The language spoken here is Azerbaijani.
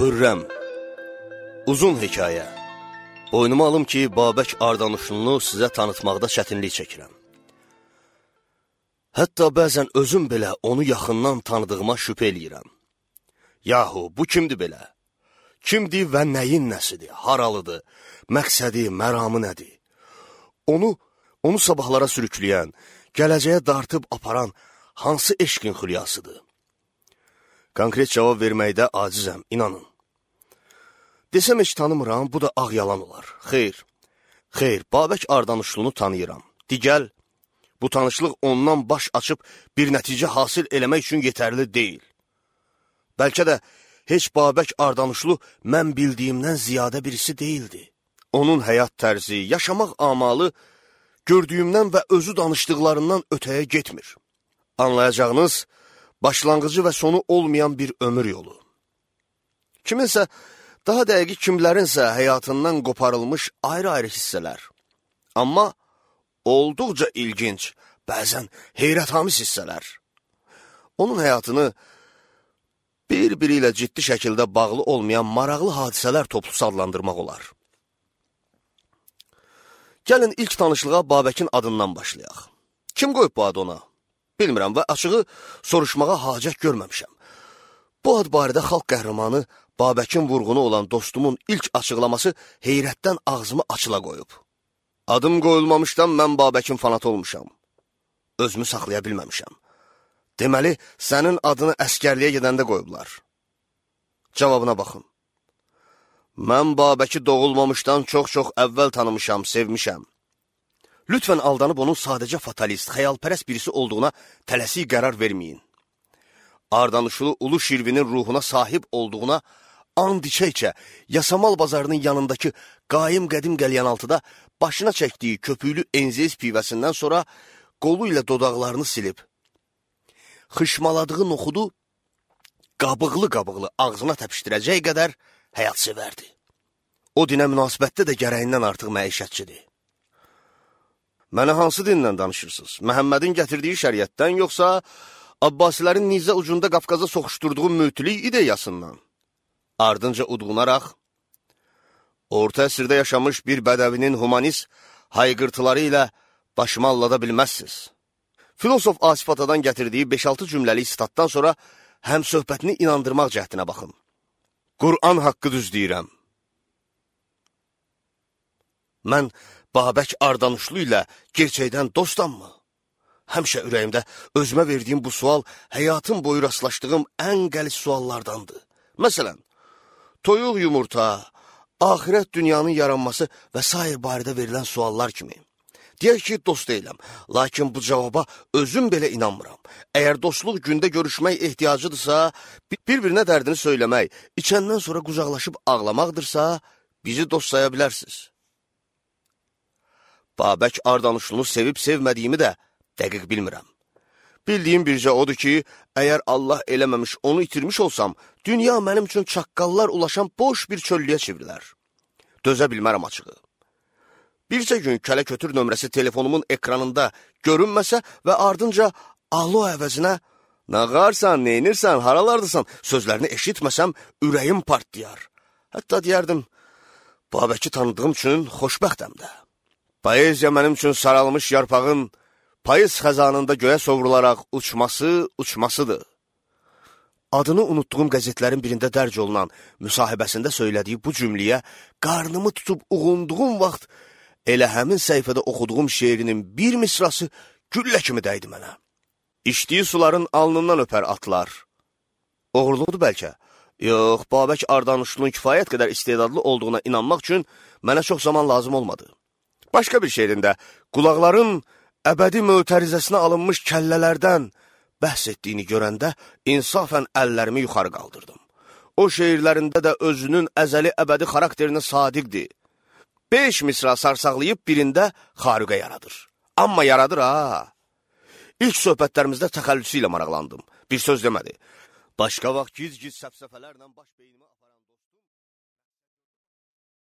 Xürrəm. Uzun hekayə. Boynuma alım ki, Babək Ardanuşlunu sizə tanıtmaqda çətinlik çəkirəm. Hətta bəzən özüm belə onu yaxından tanıdığıma şübhə eləyirəm. Yahu, bu kimdir belə? Kimdir və nəyin nəsidir, haralıdır, məqsədi, məramı nədir? Onu sabahlara sürükləyən, gələcəyə dartıb aparan hansı eşqin xülyasıdır? Konkret cavab verməkdə acizəm, inanın. Desəm heç tanımıram, bu da ağ yalan olar. Xeyr, Babək Ardanuşlunu tanıyıram. Digəl, bu tanışlıq ondan baş açıb bir nəticə hasil eləmək üçün yetərli deyil. Bəlkə də heç Babək Ardanuşlu mən bildiyimdən ziyadə birisi deyildi. Onun həyat tərzi, yaşamaq amalı gördüyümdən və özü danışdıqlarından ötəyə getmir. Anlayacağınız, başlanğıcı və sonu olmayan bir ömür yolu. Kiminsə, daha dəqiq kimlərinsə həyatından qoparılmış ayrı-ayrı hissələr. Amma olduqca ilginc, bəzən heyrətamiz hissələr. Onun həyatını bir-biri ilə ciddi şəkildə bağlı olmayan maraqlı hadisələr toplusu adlandırmaq olar. Gəlin ilk tanışlığa Babəkin adından başlayaq. Kim qoyub bu adı ona? Bilmirəm və açığı soruşmağa hacət görməmişəm. Bu ad barədə xalq qəhrəmanı Babəkin vurğunu olan dostumun ilk açıqlaması heyrətdən ağzımı açıla qoyub. Adım qoyulmamışdan mən Babəkin fanatı olmuşam. Özümü saxlaya bilməmişəm. Deməli, sənin adını əskərliyə gedəndə qoyublar. Cavabına baxın. Mən Babəki doğulmamışdan çox-çox əvvəl tanımışam, sevmişəm. Lütfən aldanıb onun sadəcə fatalist, xəyalpərəst birisi olduğuna tələsik qərar verməyin. Ardanuşlu Ulu Şirvinin ruhuna sahib olduğuna and içə-içə Yasamal bazarının yanındakı qaim qədim qəlyanaltıda başına çəkdiyi köpüklü enziz pivəsindən sonra qolu ilə dodaqlarını silib, xışmaladığı noxudu qabıqlı-qabıqlı ağzına təpişdirəcək qədər həyat sevərdi. O dinə münasibətdə də gərəyindən artıq məişətçidir. Mənə hansı dindən danışırsınız? Məhəmmədin gətirdiyi şəriətdən, yoxsa Abbasilərin nizə ucunda Qafqaza soxuşturduğu mütülük ideyasından? Ardınca udğunaraq, orta əsrdə yaşamış bir bədəvinin humanist hayqırtıları ilə başımı allada bilməzsiniz. Filosof Asif Atadan gətirdiyi 5-6 cümləli statdan sonra həm söhbətini inandırmaq cəhdinə baxın. Qur'an haqqı düz deyirəm. Mən Babək Ardanuşlu ilə gerçəkdən dostammı? Həmişə ürəyimdə özümə verdiyim bu sual həyatım boyu rastlaşdığım ən qəliz suallardandır. Məsələn, toyuq yumurta, axirət dünyanın yaranması və s. barədə verilən suallar kimi. Deyək ki, dost deyiləm, lakin bu cavaba özüm belə inanmıram. Əgər dostluq gündə görüşmək ehtiyacıdırsa, bir-birinə dərdini söyləmək, içəndən sonra qucaqlaşıb ağlamaqdırsa, bizi dost saya bilərsiniz. Babək Ardanuşlunu sevib-sevmədiyimi də dəqiq bilmirəm. Bildiyim bircə odur ki, əgər Allah eləməmiş onu itirmiş olsam, dünya mənim üçün çaqqallar ulaşan boş bir çöllüyə çevrilər. Dözə bilmərəm açığı. Bircə gün kələ-kötür nömrəsi telefonumun ekranında görünməsə və ardınca alo əvəzinə "Nağarsan, neynirsən, haralardırsan" sözlərini eşitməsəm, ürəyim partlayar. Hətta deyərdim, Babəki tanıdığım üçün xoşbəxtəm də. Poeziya mənim üçün saralmış yarpağın payız xəzanında göyə sovrularaq uçmasıdır. Adını unutduğum qəzetlərin birində dərc olunan müsahibəsində söylədiyi bu cümləyə qarnımı tutub uğunduğum vaxt elə həmin səhifədə oxuduğum şeirinin bir misrası güllə kimi dəydi mənə. İçdiyi suların alnından öpər atlar. Oğurluqdur bəlkə. Yox, Babək Ardanuşlunun kifayət qədər istedadlı olduğuna inanmaq üçün mənə çox zaman lazım olmadı. Başqa bir şeirində qulaqların əbədi mötərizəsinə alınmış kəllələrdən bəhs etdiyini görəndə insafən əllərimi yuxarı qaldırdım. O şeirlərində də özünün əzəli əbədi xarakterinə sadiqdir. 5 misra sarsaqlayıb birində xarüqə yaradır. Amma yaradır ha. İlk söhbətlərimizdə təxəllüsü ilə maraqlandım. Bir söz demədi. Başqa vaxt giz-giz səfsəfələrlə baş beynimi...